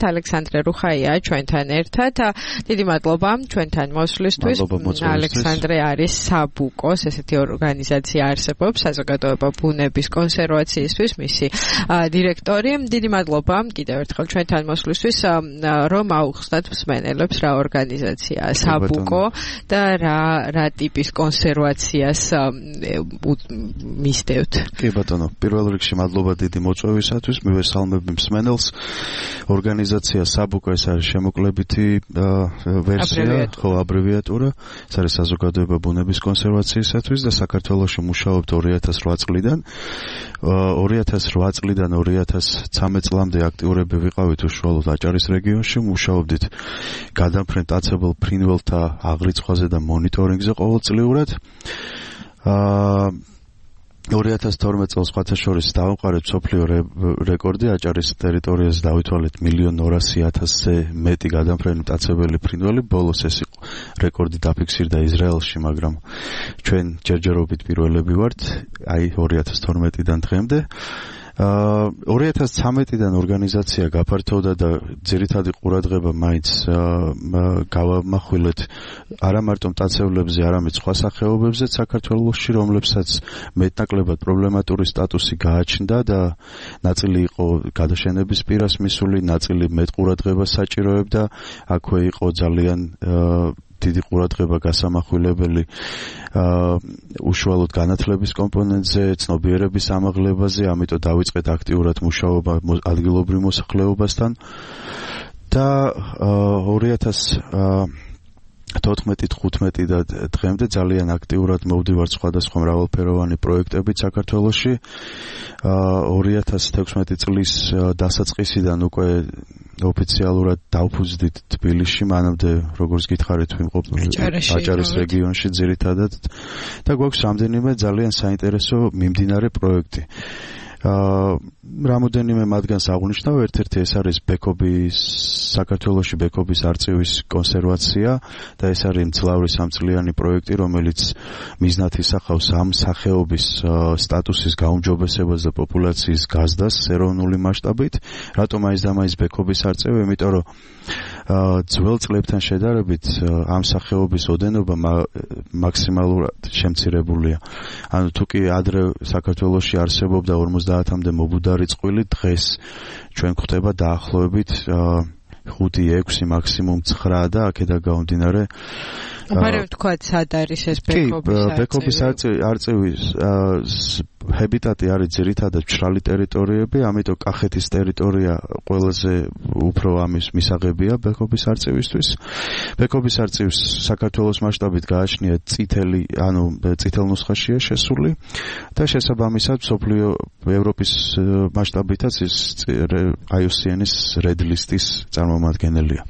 ალექსანდრე რუხაია ჩვენთან ერთად. დიდი მადლობა ჩვენთან მოსვლისთვის. ალექსანდრე არის საბუკოს, ესეთი ორგანიზაცია არსებობს, საზოგადოება ბუნების კონსერვაციისთვის, მისი დირექტორი. დიდი მადლობა კიდევ ერთხელ ჩვენთან მოსვლისთვის, რომ აუხსნათ მსმენელებს რა ორგანიზაცია საბუკო და რა ტიპის კონსერვაციას მისდევთ. კი ბატონო, პირველ რიგში მადლობა დიდი მოწვევისათვის, მივესალმები მსმენელს. ორგანიზაცია საბუკო ეს არის შემოკლებითი ვერსია, ხო, აბრევიატურა, ეს არის საზოგადოება ბუნების კონსერვაციისათვის და საქართველოში მუშაობთ 2008 წლიდან. 2008 წლიდან 2013 წლამდე აქტიურები ვიყავით უშუალოდ აჭარის რეგიონში, მუშაობდით გადამფრენ მტაცებელ ფრინველთა აღრიცხვაზე და მონიტორინგზე ყოველწლიურად. 2012 წელს სხვათა შორის დავამყარეთ მსოფლიო რეკორდი, აჭარის ტერიტორიაზე დავითვალეთ 1,200,000-ზე მეტი გადამფრენი მტაცებელი ფრინველი. ბოლოს ეს რეკორდი დაფიქსირდა ისრაელში, მაგრამ ჩვენ ჯერჯერობით პირველები ვართ, აი 2012-დან დღემდე. 2013-დან ორგანიზაცია გაფართოვდა და ძირითადი ყურადღება მაინც გავამახვილეთ არა მარტო მტაცებლებზე, არამედ სხვა სახეობებზეც საქართველოში, რომლებსაც მეტნაკლებად პრობლემატური სტატუსი გააჩნდა და ნაწილი იყო გადაშენების პირას მისული, ნაწილი მეტ ყურადღებას საჭიროებდა. აქვე იყო ძალიან დიდი ყურადღება გასამახვილებელი უშუალოდ განათლების კომპონენტზე, ცნობიერების ამაღლებაზე, ამიტომ დავიწყეთ აქტიურად მუშაობა ადგილობრივ მოსახლეობასთან და 2014-15 და დღემდე ძალიან აქტიურად მოვდივართ სხვადასხვა მრავალფეროვანი პროექტებით საქართველოში. 2016 წლის დასაწყისიდან უკვე ოფიციალურად დავფუძდით თბილისში, მანამდე როგორც გითხარით ვიმყოფ აჭარის რეგიონში ძირითადად და გვაქვს რამდენიმე ძალიან საინტერესო მიმდინარე პროექტი. რამოდენიმე მათგანს აღნიშნავ, ერთ-ერთი ეს არის საქართველოში ბექობის არწივის კონსერვაცია და ეს არის მძლავრი სამწლიანი პროექტი, რომელიც მიზნად ისახავს ამ სახეობის სტატუსის გაუმჯობესებას და პოპულაციის გაზრდას ეროვნული მასშტაბით. რატომ აის და მაის ბექობის არწივი? იმიტომ რომ ძველ წლებთან შედარებით ამ სახეობის ოდენობა მაქსიმალურად შემცირებულია. ანუ თუ კი ადრე საქართველოში არსებობდა 50-მდე მობუდარი წყვილი, დღეს ჩვენ გვხვდება დაახლოებით 5-6, მაქსიმუმ 9 და აქედან გამომდინარე მაგრამ თქვა სად არის ეს ბექობის არწივის ჰაბიტატი არის ძირითადად მშრალი ტერიტორიები, ამიტომ კახეთის ტერიტორია ყველაზე უფრო ამის მისაღებია ბექობის არწივისთვის. ბექობის არწივს საქართველოს მასშტაბით გააჩნია წითელ ნუსხაშია შესული და შესაბამისად მსოფლიო ევროპის მასშტაბითაც ის IUCN-ის Red List-ის წარმომადგენელია.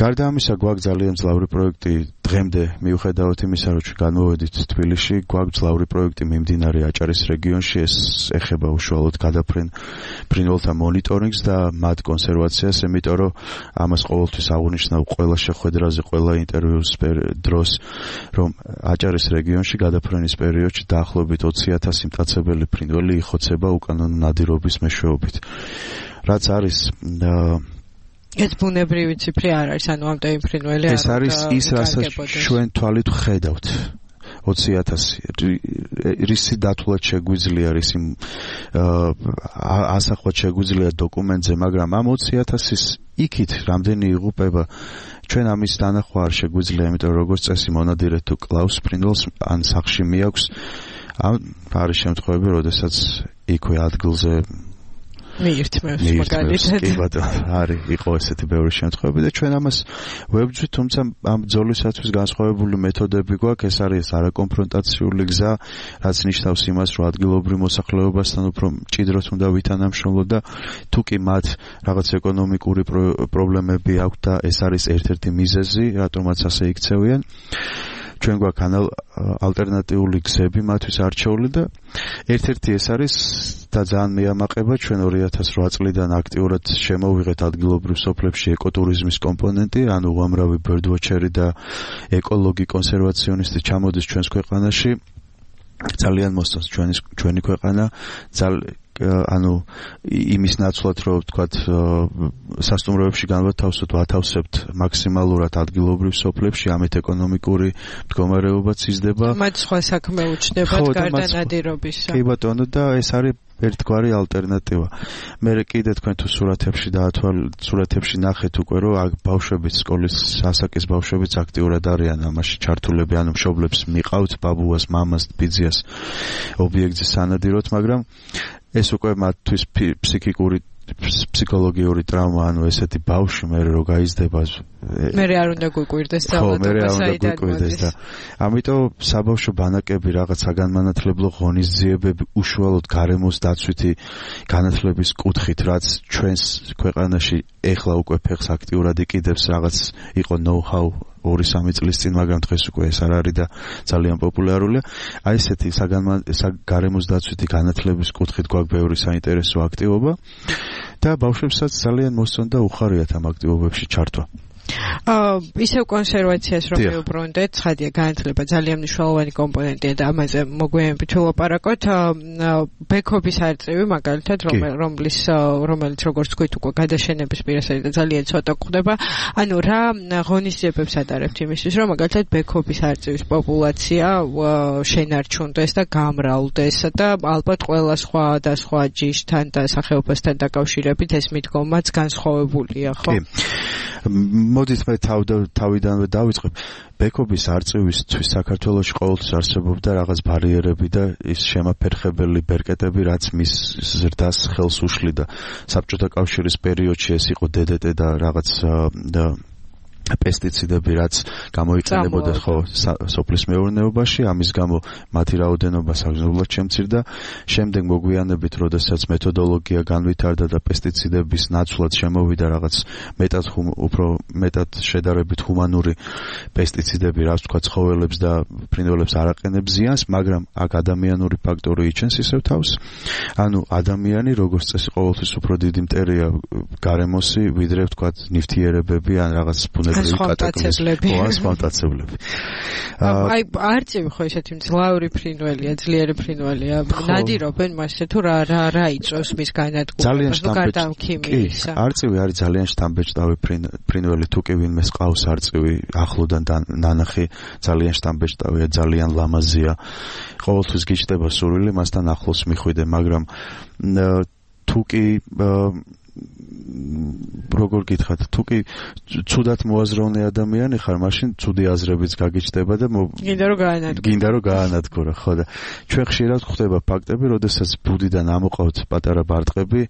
გარდა ამისა, გვაქვს ძალიან მძლავრი პროექტი დღემდე, მიუხედავად იმისა, რომ განმოვედით თბილისში, გვაქვს მძლავრი პროექტი მიმდინარე აჭარის რეგიონში, ეს ეხება უშუალოდ გადაფრენ ფრინველთა მონიტორინგს და მათ კონსერვაციას, იმიტომ რომ ამას ყოველთვის აღნიშნავ ყველა შეხვედრაზე, ყველა ინტერვიუს დროს, რომ აჭარის რეგიონში გადაფრენის პერიოდში დაახლოებით 20,000 მტაცებელი ფრინველი იხოცება უკანონო ნადირობის მეშვეობით. რაც არის ეს ბუნებრივი ციფრი არ არის, ანუ ამდენი ფრინველი არ არის. ეს არის ის, რასაც ჩვენ თვალით ვხედავთ. 20,000 რისი დათვლად შეგვიძლია, რისი ასახვად შეგვიძლია დოკუმენტზე, მაგრამ ამ 20,000-ის იქით რამდენი იღუპება ჩვენ ამის დანახვა არ შეგვიძლია, იმიტომ როგორც წესი მონადირე თუ კლავს ფრინველს ან სახლში მიაქვს, არის შემთხვევები, როდესაც იქვე ადგილზე მიირთმევს მაგალითად. კი ბატონო, არის იყო ესეთი ბევრი შემთხვევები და ჩვენ ამას ვებძვით, თუმცა ამ ბრძოლისათვის განსხვავებული მეთოდები გვაქვს, ეს არის არაკონფრონტაციული გზა, რაც ნიშნავს იმას, რომ ადგილობრივ მოსახლეობასთან უფრო მჭიდროდ უნდა ვითანამშრომლოთ და თუ კი მათ რაღაც ეკონომიკური პრობლემები აქვთ და ეს არის ერთ-ერთი მიზეზი, რატომაც ასე იქცევიან. ჩვენ გვაქვს ალტერნატიული გზები მათთვის არჩეული და ერთ-ერთი ეს არის და ძალიან მეამაყება, ჩვენ 2008 წლიდან აქტიურად შემოვიღეთ ადგილობრივ სოფლებში ეკოტურიზმის კომპონენტი, ანუ უამრავი ბერდვოჩერი და ეკოლოგი კონსერვაციონისტი ჩამოდის ჩვენს ქვეყანაში. ძალიან მოსწონს ჩვენი ქვეყანა, ანუ იმის ნაცვლად რომ ვთქვათ სასტუმროებში განვათავსოთ, ვათავსებთ მაქსიმალურად ადგილობრივ სოფლებში, ამით ეკონომიკური მდგომარეობაც იზრდება. მათ სხვა საქმე უჩნდებათ გარდა ნადირობისა. კი ბატონო და ეს არის ერთგვარი ალტერნატივა. მე კიდე თქვენ თუ სურათებში ნახეთ უკვე რომ ბავშვებიც სკოლის ასაკის ბავშვებიც აქტიურად არიან ამაში ჩართულები, ანუ მშობლებს მიყავთ ბაბუას, მამას, ბიძიას ობიექტზე სანადიროთ, მაგრამ ეს უკვე მათთვის ფსიქოლოგიური ტრავმა, ანუ ესეთი ბავშვი მე რო გაიზრდება მე არ უნდა გვიკვირდეს და ამიტომ საბავშვო ბანაკები რაღაც საგანმანათლებლო ღონისძიებები უშუალოდ გარემოს დაცვითი განათლების კუთხით, რაც ჩვენს ქვეყანაში ეხლა უკვე ფეხს აქტიურად იკიდებს, რაღაც იყო know-how 2-3 წლის წინ, მაგრამ დღეს უკვე ეს არ არის და ძალიან პოპულარულია. აი ესეთი გარემოს დაცვითი განათლების კუთხით გვაქვს ბევრი საინტერესო აქტივობა და ბავშვებსაც ძალიან მოსწონდა უხარიათ ამ აქტივობებში ჩართვა. ისევ კონსერვაციას რომ ვიუბრუნდეთ, ცხადია განათლება ძალიან მნიშვნელოვანი კომპონენტია და ამაზე მოგვიანებით ვილაპარაკოთ. ბექობის არწივი მაგალითად რომელიც როგორც თქვით უკვე გადაშენების პირასარი და ძალიან ცოტა გვხდება. ანუ რა ღონისძიებებს ატარებთ იმისთვის, რომ მაგალითად ბექობის არწივის პოპულაცია შენარჩუნდეს და გამრავლდეს და ალბათ ყველა სხვა ჯიშთან და სახეობასთან დაკავშირებით ეს მიდგომაც განსხვავებულია, ხო? მოდით მე თავიდანვე დავიწყებ. ბექობის არწივისთვის საქართველოში ყოველთვის არსებობდა რაღაც ბარიერები და ის შემაფერხებელი ბერკეტები, რაც მის ზრდას ხელს უშლიდა. საბჭოთა კავშირის პერიოდში ეს იყო DDT და რაღაც პესტიციდები, რაც გამოიყენებოდა სოფლის მეურნეობაში, ამის გამო მათი რაოდენობა საგრძნობლად შემცირდა. შემდეგ მოგვიანებით, როდესაც მეთოდოლოგია განვითარდა და პესტიციდების ნაცვლად შემოვიდა რაღაც უფრო მეტად შედარებით ჰუმანური პესტიციდები, რაც თქვა ცხოველებს და ფრინველებს არ აყენებს ზიანს, მაგრამ აქ ადამიანური ფაქტორი იჩენს ისევ თავს. ანუ ადამიანი როგორც წესი ყოველთვის უფრო დიდი მტერია გარემოსი, ვიდრე თქვა ნივთიერებები ან რაღაც სპონტაცებლები. აი არწივი ხო ესეთი მძლავრი ფრინველია, ძლიერი ფრინველია. ნადირობენ მასზე თუ რა იწვევს მის განადგურებას, გარდა ქიმიისა. არწივი არის ძალიან შთამბეჭდავი ფრინველი, თუ კი ვინმე ყავს არწივი ახლოდან ნანახი, ძალიან შთამბეჭდავია, ძალიან ლამაზია. ყოველთვის გიჩნდება სურვილი მასთან ახლოს მიხვიდე, მაგრამ თუ კი როგორ გითხრათ, თუ კი ცუდად მოაზროვნე ადამიანი ხარ, მაშინ ცუდი აზრებიც გაგიჩნდება და გინდა რომ გაანადგურა, ხო და ჩვენ ხშირად ხვდება ფაქტები, როდესაც ბუდიდან ამოყავთ პატარა ბარტყები,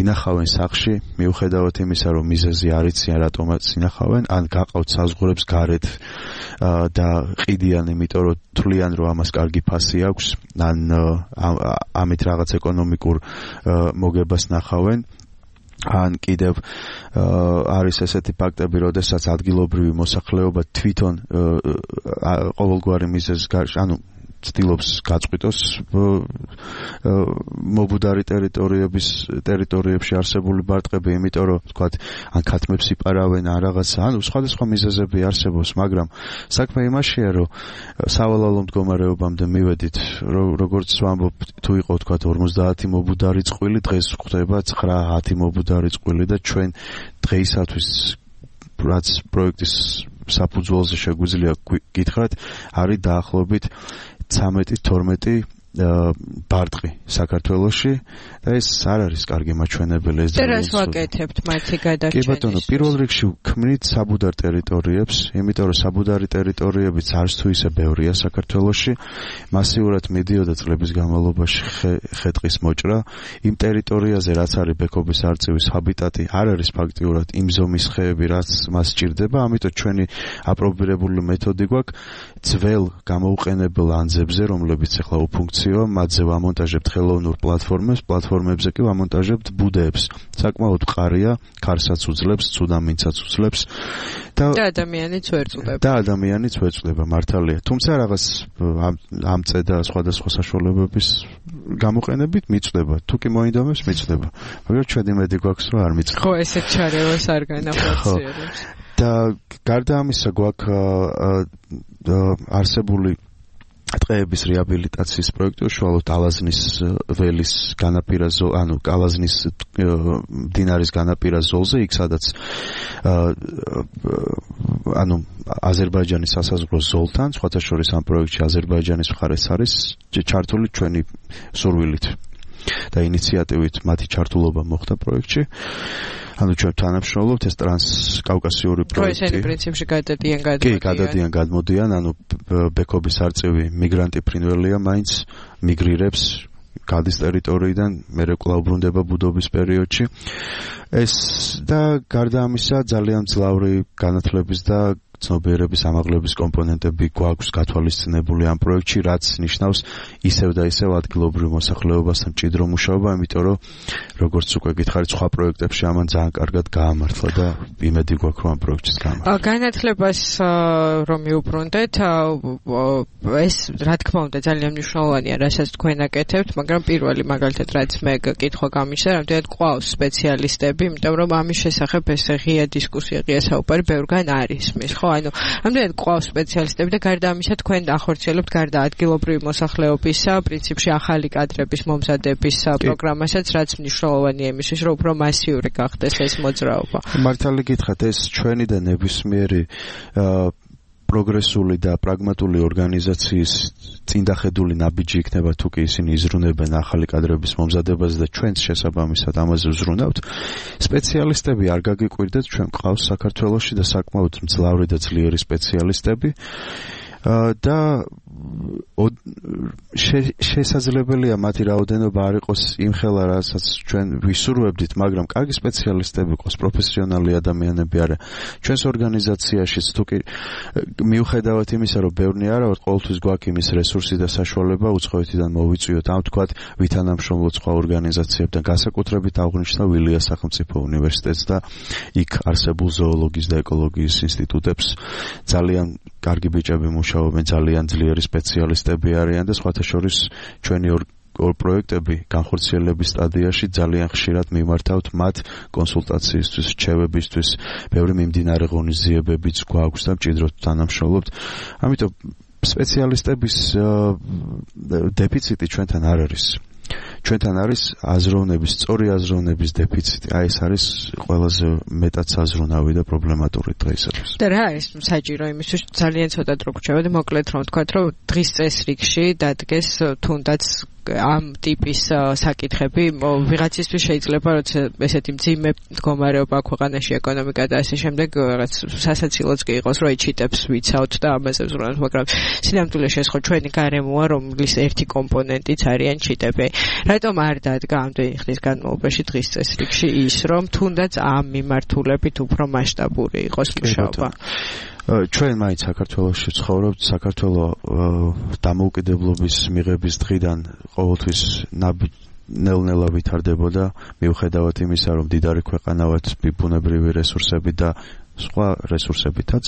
ინახავენ სახლში, მიუხედავად იმისა, რომ მიზეზი არ იციან, რატომაც ინახავენ, ან გაყავთ საზღვრებს გარეთ და ყიდიან, იმიტომ რომ თვლიან, რომ ამას კარგი ფასი აქვს, ან ამით რაღაც ეკონომიკურ მოგებას ნახავენ. ან კიდევ არის ესეთი ფაქტები, როდესაც ადგილობრივი მოსახლეობა თვითონ ყოველგვარი მიზეზის გარშე, ანუ ცდილობს გაწყვიტოს მობუდარი ტერიტორიებში არსებული ბარტყები, იმიტომ რომ თქვათ, ან ქათმებს იპარავენ, ან რაღაცა, ანუ სხვადასხვა მიზეზები არსებობს, მაგრამ საქმე იმაშია, რომ სავალალო მდგომარეობამდე მივედით, როგორც ვამბობ, თუ იყო თქვათ 50 მობუდარი წყვილი, დღეს ხდება 9-10 მობუდარი წყვილი და ჩვენ დღეისათვის რაც პროექტის საფუძველზე შეგვიძლია გითხრათ, არის დაახლოებით 13-12 ბარტყი საქართველოში და ეს არ არის კარგი მაჩვენებელი, ეს ძალიან სულ. ვაკეთებთ მათი გადარჩენის. კი ბატონო, პირველ რიგში ვქმნით საბუდარ ტერიტორიებს, იმიტომ რომ საბუდარი ტერიტორიებიც არც თუ ისე ბევრია საქართველოში, მასიურად მიდიოდა წლების განმავლობაში ხე-ტყის მოჭრა, იმ ტერიტორიაზე რაც არის ბექობის არწივის ჰაბიტატი, არ არის ფაქტიურად იმ ზომის ხეები, რაც მას სჭირდება, ამიტომ ჩვენი აპრობირებული მეთოდი გვაქვს ძველ გამოუყენებელ ანძებზე, რომლებიც ახლა უფუნქციოა, მათზე ვამონტაჟებთ ხელოვნურ პლატფორმებზე კი ვამონტაჟებთ ბუდეებს. საკმაოდ მყარია, ქარსაც უძლებს, ცუდამინცაც უძლებს და ადამიანიც ვერ წდება, მართალია. თუმცა რაღაც ამწე და სხვადასხვა საშუალებების გამოყენებით მიწდება. თუ კი მოინდომებს, მიწდება. მაგრამ ჩვენ იმედი გვაქვს, რომ არ მიწდება. ხო, ესეთ ჩარევას არ განახორციელებს. და გარდა ამისა გვაქვს არსებული ტყეების რეაბილიტაციის პროექტი უშუალოდ ალაზნის ველის განაპირა ალაზნის მდინარის განაპირა ზოლზე, იქ სადაც აზერბაიჯანის სასაზღვრო ზოლთან, სხვათა შორის ამ პროექტში აზერბაიჯანის მხარეს არის ჩართული ჩვენი სურვილით და ინიციატივით მათი ჩართულობა მოხდა პროექტში. ჩვენ თანამშრომლობთ ეს ტრანსკავკასიური პროექტი. ესენი პრინციპში გადადიან. კი, გადადიან, გადმოდიან, ბექობის არწივი მიგრანტი ფრინველია, მაინც მიგრირებს გადის ტერიტორიიდან, მერე კვლავ ბრუნდება ბუდობის პერიოდში. ეს და გარდა ამისა ძალიან მძლავრი განათლების და ცნობიერების ამაღლების კომპონენტები გვაქვს გათვალისწინებული ამ პროექტში, რაც ნიშნავს ისევ და ისევ ადგილობრივ მოსახლეობასთან მჭიდრო მუშაობა, იმიტომ რომ როგორც უკვე გითხარით, სხვა პროექტებში ამან ძალიან კარგად გაამართლა და იმედი გვაქვს რომ ამ პროექტშიც გაამართლა. განათლებას რომ მიუბრუნდეთ, ეს რა თქმა უნდა ძალიან მნიშვნელოვანია, რასაც თქვენ აკეთებთ, მაგრამ პირველი მაგალითად რაც მე კითხვა გამიშა, რამდენად ყავს სპეციალისტები, იმიტომ რომ ამის შესახებ ეს ღია დისკუსია, ღია საუბარი ბევრგან არის მის, ხო? Რამდენად ყავს სპეციალისტები და გარდა ამისა თქვენ ახორციელებთ გარდა ადგილობრივი მოსახლეობისა, პრინციპში ახალი კადრების მომზადების პროგრამასაც, რაც მნიშვნელოვანია იმისთვის, რომ უფრო მასიური გახდეს ეს მოძრაობა. მართალი გითხრათ, ეს ჩვენი და ნებისმიერი პროგრესული და პრაგმატული ორგანიზაციის წინდახედული ნაბიჯი იქნება თუ კი ისინი იზრუნებენ ახალი კადრების მომზადებას და ჩვენც შესაბამისად ამაზე ვზრუნავთ. სპეციალისტები არ გაგიკვირდეთ, ჩვენ გვყავს საქართველოში და საკმაოდ მძლავრი და ძლიერი სპეციალისტები და შესაძლებელია მათი რაოდენობა არ იყოს იმხელა, რასაც ჩვენ ვისურვებდით, მაგრამ კარგი სპეციალისტები ყავს, პროფესიონალი ადამიანები არა. ჩვენს ორგანიზაციაშიც თუ კი მიუხედავად იმისა, რომ ბევრნი არა ვართ, ყოველთვის გვაქვს იმის რესურსი და საშუალება უცხოეთიდან მოვიწვიოთ, ამ თქვათ ვითანამშრომლოთ სხვა ორგანიზაციებთან, განსაკუთრებით აღნიშნავ ვილიას სახელმწიფო უნივერსიტეტს და იქ არსებულ ზოოლოგიის და ეკოლოგიის ინსტიტუტებს. ძალიან კარგი ბიჭები მუშაობენ, ძალიან ძლიერი სპეციალისტები არიან და სხვათა შორის ჩვენი ორ პროექტები განხორციელების სტადიაში ძალიან ხშირად მიმართავთ მათ კონსულტაციისთვის, რჩევებისთვის, ბევრი მიმდინარე ღონისძიებებიც გვაქვს და მჭიდროდ თანამშრომლობთ. ამიტომ სპეციალისტების დეფიციტი ჩვენთან არ არის. ჩვენთან არის აზროვნების, სწორი აზროვნების დეფიციტი. აი ეს არის ყველაზე მეტად საზრუნავი და პრობლემატური დღეისათვის. და რა არის საჭირო იმისთვის ძალიან ცოტა დრო გრჩება და მოკლედ რომ ვთქვათ, რომ დღის წესრიგში დადგეს თუნდაც ამ ტიპის საკითხები ვიღაცისთვის შეიძლება როცა ესეთი მძიმე მდგომარეობა ქვეყანაში ეკონომიკა და ასე შემდეგ რაღაც სასაცილოც კი იყოს რომ ეჩიტებს ვიცავთ და ამაზე ვზრუნავთ, მაგრამ სინამდვილეში ეს ხო ჩვენი გარემოა, რომლის ერთი კომპონენტიც არიან ჩიტები. რატომ არ დადგა ამდენი ხნის განმავლობაში დღის წესრიგში ის, რომ თუნდაც ამ მიმართულებით უფრო მასშტაბური იყოს მუშაობა? ჩვენ მაინც საქართველოში ვცხოვრობთ, საქართველოს დამოუკიდებლობის მიღების დღიდან ყოველთვის ნელ-ნელა ვითარდებოდა, მიუხედავად იმისა, რომ მდიდარი ქვეყანა ვართ, ბუნებრივი რესურსები და სხვა რესურსებითაც.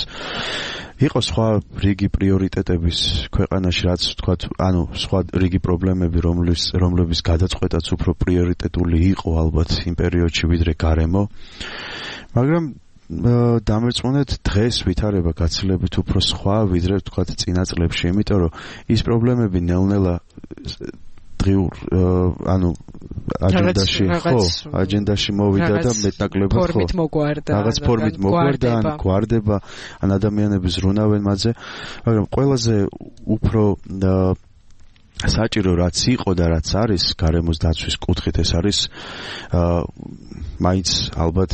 იყო სხვა რიგი პრიორიტეტების ქვეყანაში, რაც ვთქვათ, სხვა რიგი პრობლემები, რომლების გადაწყვეტაც უფრო პრიორიტეტული იყო ალბათ იმ პერიოდში ვიდრე გარემო. მაგრამ დამერწმუნეთ დღეს ვითარება გაცილებით უფრო სხვა ვიდრე ვთქვათ წინა წლებში, იმიტომ რომ ის პრობლემები ნელ-ნელა დღიურ აჯენდაში მოვიდა და მეტნაკლებად ფორმით მოგვარდა. რაღაც ფორმით მოგვარდა, ან გვარდება, ან ადამიანები ზრუნავენ მათზე, მაგრამ ყველაზე უფრო საჭირო რაც იყო და რაც არის გარემოს დაცვის კუთხით, ეს არის მაინც ალბათ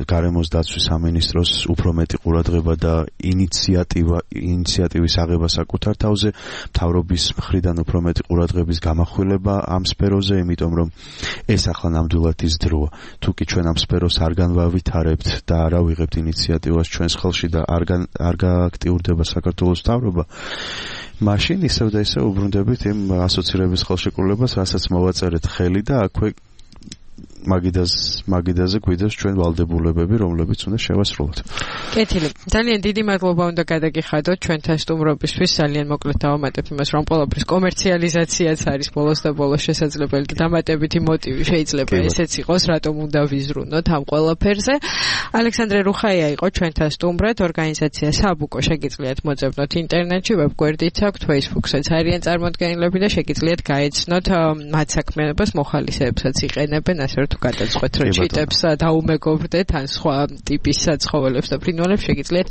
გარემოს დაცვის სამინისტროს უფრო მეტი ყურადღება და ინიციატივის აღება საკუთარ თავზე, მთავრობის მხრიდან უფრო მეტი ყურადღების გამახვილება ამ სფეროზე, იმიტომ რომ ეს ახლა ნამდვილად ის დროა. თუ კი ჩვენ ამ სფეროს არ განვავითარებთ და არ ავიღებთ ინიციატივას ჩვენს ხელში და არ გააქტიურდება საქართველოს მთავრობა, მაშინ ისევ და ისევ უბრუნდებით იმ ასოცირების ხელშეკრულებას, რასაც მოვაწერეთ ხელი და აქვე მაგიდაზე გვიდევს ჩვენ ვალდებულებები, რომლებიც უნდა შევასრულოთ. კეთილი. ძალიან დიდი მადლობა უნდა გადაგიხადოთ ჩვენთან სტუმრობისთვის. ძალიან მოკლედ დავამატებ იმას, რომ ყველაფრის კომერციალიზაციაც არის ბოლოს და ბოლოს შესაძლებელი და დამატებითი მოტივი შეიძლება ესეც იყოს, რატომ უნდა ვიზრუნოთ ამ ყველაფერზე. ალექსანდრე რუხაია იყო ჩვენთან სტუმრად, ორგანიზაცია საბუკო შეგიძლიათ მოძებნოთ ინტერნეტში, ვებგვერდით აქვთ, Facebook-საც არიან წარმოდგენილები და შეგიძლიათ გაეცნოთ მათ საქმიანობას მოხალისეებსაც იყენებენ, ასე რომ თუ გადაწყვეტთ რომ ჩიტებს დაუმეგობრდეთ ან სხვა ტიპის საცხოველებს და ფრინველებს შეგიძლიათ